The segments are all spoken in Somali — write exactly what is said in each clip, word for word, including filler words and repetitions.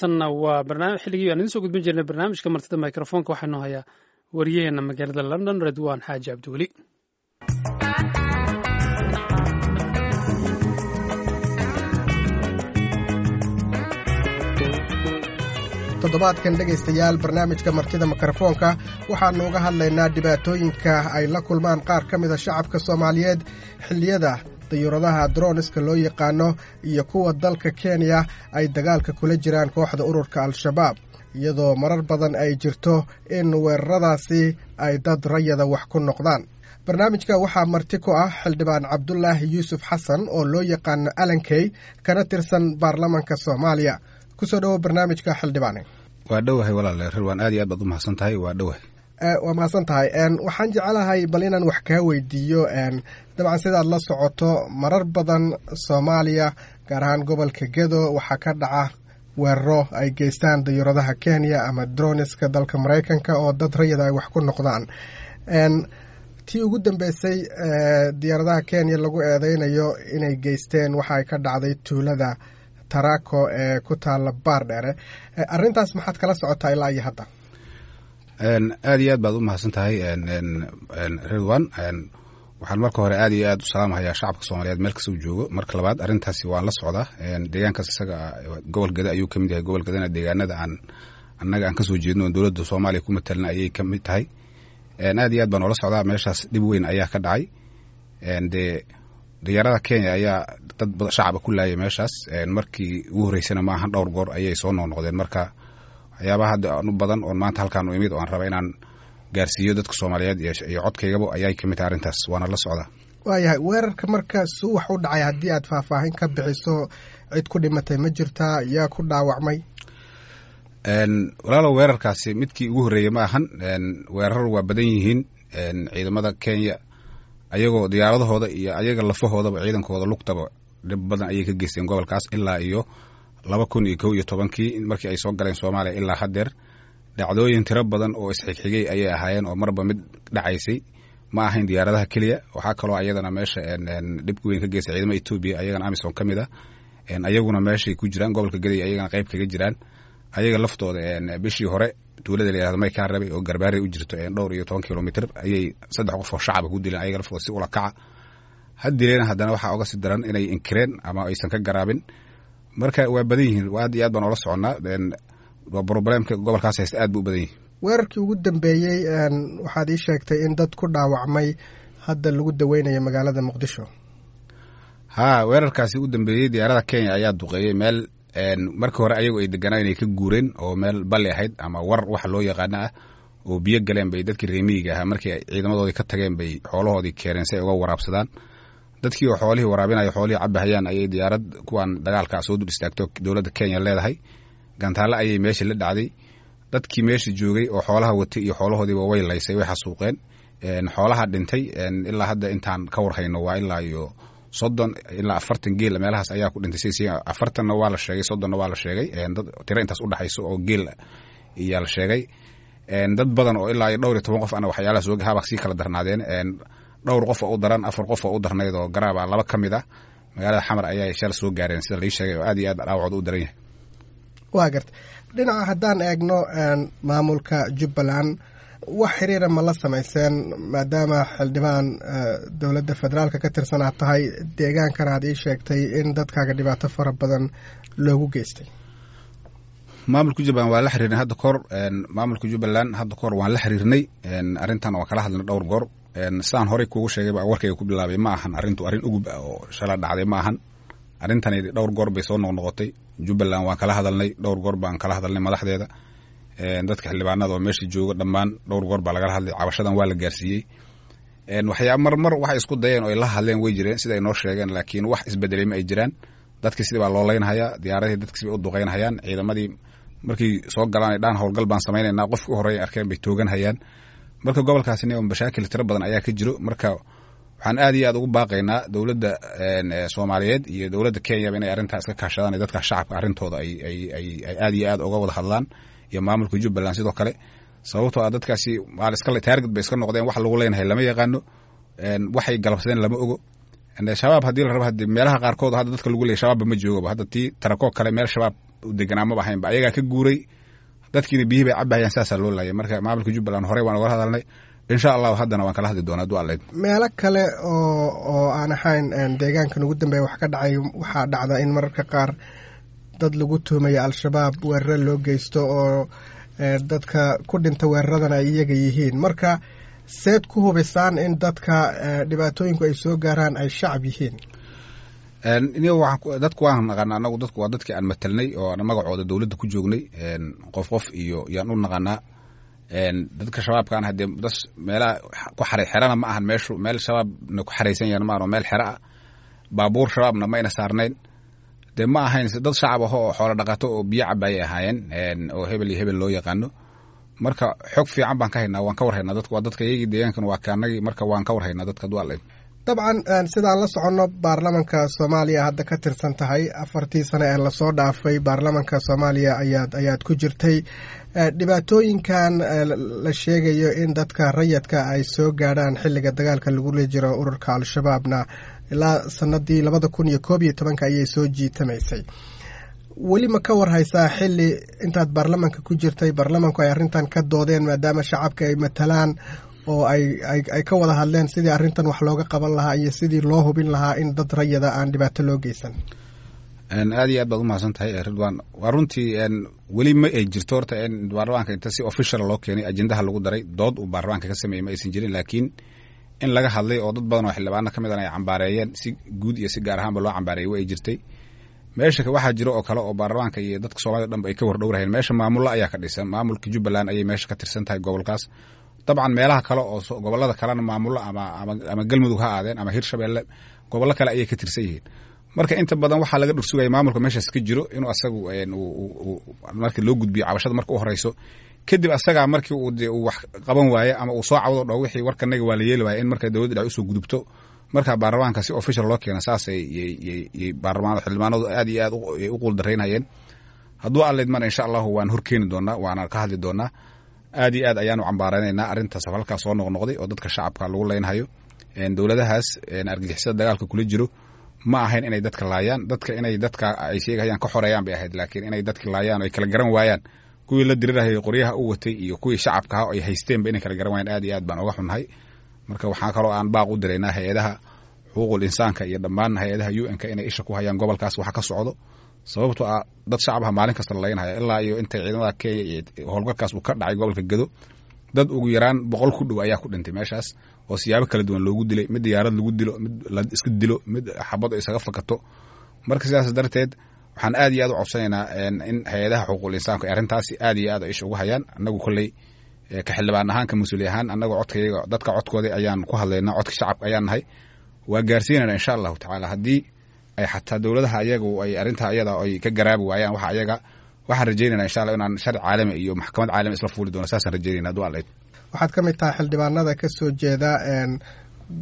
Tanna waa barnaamij xilligii aan idiin soo gudbin jirnay, barnaamijka martida microfoonka. Waxaanu hayaa wariyaheena magaalada London, Redwan Xaaji Cabdiweli. Toddobaadkan, dhegaystayaal, barnaamijka martida mikrofoonka waxaannu uga hadlaynaa dhibaatooyinka ay la kulmaan qaar ka mida shacabka Soomaaliyeed xilliyada dayuuradaha droniska loo yaqaano iyo kuwa dalka Kenya ay dagaalka kula jiraan kooxda ururka Al-Shabaab, iyadoo marar badan ay jirto in weeraradaasi ay dad rayada wax ku noqdaan. Barnaamijka waxaa marti ku ah Xildhibaan Cabdulaahi Yuusuf Xasan oo loo yaqaano Alankey, kana tirsan baarlamanka Soomaaliya. Kusoo dhowo barnaamijka, xildhibaane. Waa dhowahay, walaal Rirwan, aad iyo aad baad u mahadsan tahay, waa dhowahay. Waa mahadsan tahay. Waxaan jeclahay bal inaan wax kaa weydiiyo. Dabcan, sidaad la socoto, marar badan Soomaaliya, gaar ahaan gobolka Gedo, waxaa ka dhaca weeraro ay geystaan dayuuradaha Kenya ama droniska dalka Maraykanka oo dad rayada ay wax ku noqdaan. Tii ugu dambeysay diyaaradaha Kenya lagu eedeynayo inay geysteen waxa ay ka dhacday tuulada Tarako ee ku taala Baardheere. Arrintaas maxaad kala socotaa ilaa iyo hadda? Aad iyo aad baad u mahadsan tahay, Ridwan. Waxaan marka hore aad iyo aad u salaamhayaa shacabka Soomaaliyeed meel kasta uu joogo. Marka labaad, arrintaasi waan la socdaa. Deegaankaas isaga gobol Geda ayuu ka mid yahay. Gobol Gedana deegaanada aan annaga aan kasoo jeedno oon dowladda Soomaaliya ku matalna ayay ka mid tahay. Aad iyo aad baan oola socdaa. Meeshaas dhib weyn ayaa ka dhacay. Dee diyaarada Kenya ayaa dad shacaba ku laayay meeshaas. Markii ugu horreysana maahan, dhowr goor ayay soo noqnoqdeen. Marka waxyaabaha hadda aan u badan oon maanta halkaan u imid oo aan raba inaan gaarsiiyo dadka Soomaaliyeed iyo codkaygaba ayay ka mid tahay arrintaas, waana la socdaa. Waayahay, weerarka marka suu wax u dhacay haddii aad faahfaahin ka bixiso, cid ku dhimatay ma jirtaa? Yaa ku dhaawacmay? Walaalow, weerarkaasi midkii ugu horreeyey ma ahan. Weerar waa badan yihiin. Ciidamada Kenya ayagoo diyaaradahooda iyo ayaga lafahoodaba, ciidankooda lugtaba, dhib badan ayay ka geysteen gobolkaas ilaa iyo laba kun iyo kow iyo tobankii markii ay soo galeen Soomaaliya ilaa haddeer. Dhacdooyin tiro badan oo isxigxigay ayay ahaayeen oo marba mid dhacaysay. Ma ahayn diyaaradaha keliya, waxaa kaloo ayadana meesha dhib weyn ka geystay ciidamada Etoobiya, ayagana AMISOM ka mid ah, ayaguna meeshay ku jiraan gobolka Gaday, ayagana qayb kaga jiraan. Ayaga laftooda bishii hore tuulada la yihahdo Maykaa Rabay oo Garbaarey u jirto dhowr iyo toban kilomitr ayay saddex qof oo shacaba ku dileen, ayaga laftooda si ula kaca ha dileen. Haddana waxaa oga sii daran inay inkireen ama aysan ka garaabin. Marka waa badan yihiin, aad iyo aad baan oola soconnaa. Problemka gobolkaas haysta aad buu u badan yihin. Weerarkii ugu dambeeyey waxaad ii sheegtay in dad ku dhaawacmay hadda lagu daweynayo magaalada Muqdisho. Haa, weerarkaasi u dambeeyey diyaarada Kenya ayaa duqeeyey meel markii hore ayagu ay deganaa inay ka guureen oo meel balli ahayd ama war waxa loo yaqaano ah oo biyo galeen bay dadkii reemiyiga ahaa markii ay ciidamadoodii ka tageen bay xoolahoodii keeneen si ay uga waraabsadaan. Dadkii oo xoolihii waraabinaya, xoolihii cabahayaan, ayay diyaarad kuwan dagaalkaa soo dul istaagto dowladda Kenya leedahay. Gantaale ayay meesha la dhacday. Dadkii meesha joogay oo xoolaha watay iyo xoolahoodiiba way laysay, way xasuuqeen. Xoolaha dhintay ilaa hadda intaan ka warhayno waa ilaa iyo soddon ilaa afartan geel meelahaas ayaa ku dhintay. Si afartanna waa la sheegay, soddonna waa la sheegay, dad tiro intaas udhexayso oo geel iyaa la sheegay. Dad badan oo ilaa iyo dhowr iyo toban qof ana waxyaalaha soo haba sii kala darnaadeen. Dhowr qof oo u daran, afar qof oo u darnayd oo garaaba, laba ka mid ah magaalada Xamar ayaa shal soo gaareen sida lai sheegay, oo aad iyo aad dhaawacooda u daran yahay. Waa garta. Dhinaca haddaan eegno maamulka Jubbaland, wax xiriira ma la samayseen, maadaama xildhibaan dowladda federaalka ka tirsan aad tahay, deegaankana aad ii sheegtay in dadkaaga dhibaato fara badan loogu geystay? Maamulka Jubbaland waa la xiriirnay hadda kahor. Maamulka Jubbaland hadda kahor waan la xiriirnay, arrintan waan kala hadlnay dhowr goor. Sidaan horey kuugu sheegayba, warkayga ku bilaabay, ma ahan arrintu arrin ugub ah oo shala dhacday ma ahan. Arrintani dhowr goor bay soo noqnoqotay. Jubbaland waan kala hadalnay, dhowr goor baan kala hadalnay madaxdeeda, dadka xildhibaanada oo meesha jooga dhammaan dhowr goor baa lagala hadlay. Cabashadan waa la gaarsiiyey. Waxyaa mar mar waxay isku dayeen oo ay la hadleen way jireen sida ay noo sheegeen, laakiin wax isbedelay ma ay jiraan. Dadkii sidii baa loo leynhayaa, diyaaradihii dadkii sibay u duqeynhayaan, ciidamadii markii soo galaan ay dhaan howlgal baan samaynaynaa, qofkii u horreeya arkeen bay tooganhayaan. Marka gobolkaasina mashaakil tiro badan ayaa ka jiro. Marka waxaan aad iyo aad ugu baaqaynaa dowladda Soomaaliyeed iyo dowladda Kenyaba inay arrintaa iska kaashadaan iyo dadka shacabka arrintooda ay ay ay ay aad iyo aad uga wada hadlaan, iyo maamulka Jubbaland sidoo kale, sababtoo ah dadkaasi waa iska taarget bay iska noqdeen. Wax lagu leenahay lama yaqaano, waxay galabsadeen lama ogo. Shabaab haddii la rabo, hadii meelaha qaarkood hadda dadka lagu leeyay shabaabba ma joogaba. Hadda tii Tarakoo kale meel Shabaab deganaa maba ahaynba, ayagaa ka guuray, dadkiina biyihii bay cabahayaan, saasaa loo laayay. Marka maamulka Jubbaland horey waan ogala hadalnay, insha Allahu haddana waan kala hadli doonaa hadduu Alla idmo. Meelo kale oo oo aan ahayn deegaankan ugu dambeeya wax ka dhacay, waxaa dhacda in mararka qaar dad lagu tuhmayo Al-Shabaab weeraro loo geysto oo dadka ku dhinta weeraradan ay iyaga yihiin. Marka seed ku hubisaan in dadka dhibaatooyinku ay soo gaaraan ay shacab yihiin? Dadku waan naqaana anagu, dadku waa dadkii aan matalnay oo aan magacooda dowladda ku joognay, qof qof iyo yaan u naqanaa. Dadka shabaabkaan haddee dad meelaha ku xaray xerana ma ahan, meeshu meel shabaabna ku xaraysan yahan ma ahan, oo meel xero ah, baabuur shabaabna mayna saarnayn, dee ma ahayn dad shacab aho oo xoolo dhaqato oo biyo cabaayay ahaayeen oo hebel iyo hebel loo yaqaano. Marka xog fiican baan ka haynaa, waan ka war haynaa, dadku waa dadka iyagii, deegaankan waa kaanagii, marka waan ka war haynaa dadka hadduu Alla idmo. Dabcan sidaan la soconno, baarlamanka Soomaaliya hadda ka tirsan tahay. Afartii sane ee lasoo dhaafay baarlamanka Soomaaliya ayaad ayaad ku jirtay. Dhibaatooyinkan la sheegayo in dadka rayadka ay soo gaadhaan xilliga dagaalka lagula jiro ururka Al-Shabaabna ilaa sanadii labada kun iyo koob iyo tobanka ayay soo jiitamaysay. Weli ma ka war haysaa xilli intaad baarlamanka ku jirtay baarlamanku ay arrintan ka doodeen, maadaama shacabka ay matalaan, oo ay ay ka wada hadleen sidii arrintan wax looga qaban lahaa iyo sidii loo hubin lahaa in dad rayada aan dhibaato loo geysan? Aad iyo aad baad umahadsan tahay, Ridwan. Waa runtii, weli ma ay jirto horta in baarlamaanka inta si official loo keenay ajendaha lagu daray, dood uu baarlamaanka ka sameeyey ma aysan jirin, laakiin in laga hadlay oo dad badan oo xildhibaano ka mid an ay cambaareeyeen, si guud iyo si gaar ahaanba loo cambaareeyey, wa ay jirtay. Meesha waxaa jiro oo kale oo baarlamaanka iyo dadka Soomaalida dhanba ay ka wardhowrahayeen, meesha maamullo ayaa ka dhisan, maamulka Jubbaland ayay meesha ka tirsan tahay gobolkaas. Dabcan meelaha kale oo gobollada kalena maamullo ama ama Galmudug ha aadeen ama Hirshabeelle, gobollo kale ayay ka tirsan yihiin. Marka inta badan waxaa laga dhursugaya maamulka meeshaas ka jiro inuu asagu marka loo gudbiyo cabashada marka u horeyso, kadib asagaa markii uu dee uu wax qaban waaye ama uu soo cawdo dhaho wixii warkanaga waa la yeeli waaya, in marka dowladda dhex usoo gudubto, marka baarlamaanka si official loo keena. Saasay yay baarlamaanada xildhibaanadu aad iyo aad u quuldaraynayeen. Hadduu Alla idmana, insha Allahu waan horkeeni doonaa, waana ka hadli doonaa. Aad iyo aad ayaanu cambaaraynaynaa arrintaas halkaas soo noqnoqday oo dadka shacabka lagu leynhayo. Dowladahaas argagixisada dagaalka kula jiro ma ahayn inay dadka laayaan, dadka inay dadka ay sheegahayaan ka xoreeyaan bay ahayd, laakiin inay dadka laayaan oo ay kala garan waayaan kuwii la dirirahayay qoryaha u watay iyo kuwii shacabka ah ay haysteenba inay kala garan waayaan, aad iyo aad baan oga xunnahay. Marka waxaa kaloo aan baaq u diraynaa hay-adaha xuquuqul insaanka iyo dhammaan hay-adaha U N-ka inay isha ku hayaan gobolkaas waxa ka socdo, sababtoo ah dad shacbaha maalin kasta la laynhaya. Ilaa iyo intay ciidamada Kenya iyo howlgalkaas uu ka dhacay gobolka Gedo, dad ugu yaraan boqol ku dhow ayaa ku dhintay meeshaas oo siyaabo kala duwan loogu dilay, mid diyaarad lagu dilo, mid la iska dilo, mid xabad isaga fakato. Marka sidaas darteed waxaan aad iyo aad u codsanaynaa in hay-adaha xuquuqul insaanku ay arrintaasi aad iyo aad ay isha ugu hayaan. Annagu kolley ka xildhibaan ahaan, ka mas-uuli ahaan, annagu codkayaga, dadka codkooda ayaan ku hadlaynaa, codka shacabka ayaan nahay, waa gaarsiinayna insha Allahu tacaala. Haddii ay xataa dowladaha ayagu ay arrintaa ayada ay ka garaabi waayaan, waxa ayaga waxaan rajaynayna insha Allah inaan sharci caalami iyo maxkamad caalami isla fuuli doono, saasaan rajaynayna hadduu Alla. Waxaad ka mid tahay xildhibaanada ka soo jeeda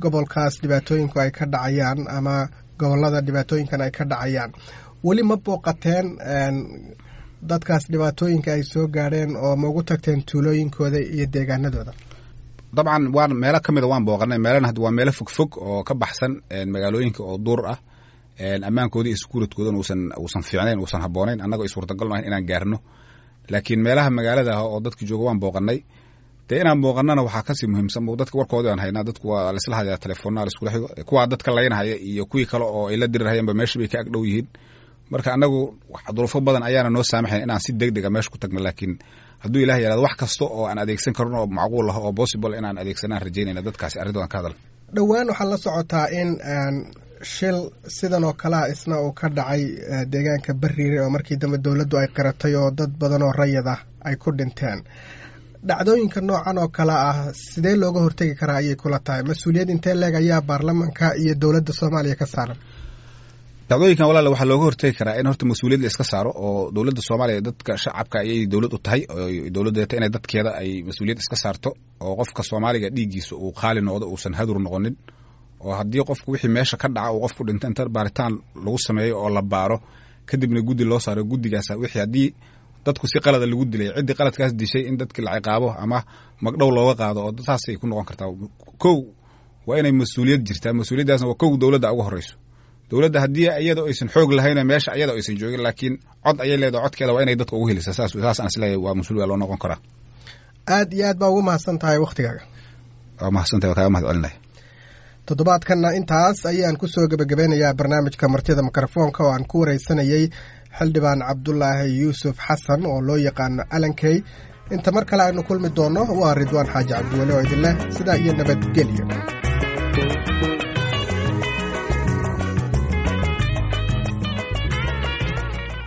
gobolkaas dhibaatooyinku ay ka dhacayaan ama gobollada dhibaatooyinkan ay ka dhacayaan. Weli ma booqateen dadkaas dhibaatooyinka ay soo gaadheen oo ma ugu tagteen tuulooyinkooda iyo deegaanadooda? Dabcan waan meelo ka mida waan booqanay, meelana hadda waa meelo fog fog oo ka baxsan magaalooyinka oo duur ah, ammaankooda iyo security-goodana uusan uusan fiicnayn, uusan habboonayn, annagoo ay suurtagal ahayn inaan gaarno. Laakiin meelaha magaalada ah oo dadka jooga waan booqanay. Dee inaan booqanana waxaa kasii muhiimsan dadka warkoodii aan haynaa, dadku waa laisla hadlaya, telefoonaa laiskula xigo, kuwaa dadka laynhaya iyo kuwii kale oo ay la dirirhayaanba meesha bay ka ag dhow yihiin. Marka annagu duruufo badan ayaana noo saamaxayn inaan si deg dega meesha ku tagno, laakiin hadduu Ilah yaraado wax kasta oo aan adeegsan karno oo macquul ah oo possible inaan adeegsanaan rajaynayna dadkaasi arrintoodan ka hadal. Dhowaan waxaa la socotaa in shil sidan oo kalea isna uu ka dhacay deegaanka Bariire oo markii dambe dowladdu ay qiratay oo dad badan oo rayad ah ay ku dhinteen. Dhacdooyinka noocan oo kale ah sidee looga hortegi karaa ayay kula tahay? Mas-uuliyad intee leeg ayaa baarlamanka iyo dowladda Soomaaliya ka saaran? Dhacdooyinkan, walaal, waxaa looga hortegi karaa in horta mas-uuliyad la iska saaro oo dowladda Soomaaliya dadka shacabka ayay dowlad u tahay, dowladdeeta inay dadkeeda ay mas-uuliyad iska saarto oo qofka Soomaaliga dhiiggiisa uu qaali noqdo, uusan hadur noqonin, oo haddii qofku wixii meesha ka dhaca uu qofku dhinto, inta baaritaan lagu sameeyo oo la baaro, kadibna guddi loo saaro, guddigaas wixii haddii dadku si qalada lagu dilay, ciddii qaladkaas dishay in dadki la ciqaabo ama magdhow looga qaado, oo saasay ku noqon kartaa. Kow waa inay mas-uuliyad jirtaa, mas-uuliyaddaasna waa kow dowladda uga horeyso. Dowladda haddii iyada aysan xoog lahayn meesha iyada aysan joogin, laakiin cod ayay leedahay, codkeeda waa inay dadka ugu helisaa. Saas saas aan isleeyahay waa mas-uul waa loo noqon karaa. Aad iyo aad baa ugu mahadsan tahay wakhtigaaga. Waa mahadsantahay, waa kaaga mahad celinaya. Toddobaadkanna intaas ayaan ku soo gebagabeynayaa barnaamijka martida mikrofoonka oo aan ku wareysanayey xildhibaan Cabdulaahi Yuusuf Xasan oo loo yaqaano Alankey. Inta mar kale aynu kulmi doonno, waa Ridwaan Xaaji Cabdiweli oo idin leh sidaa iyo nabadgelyo.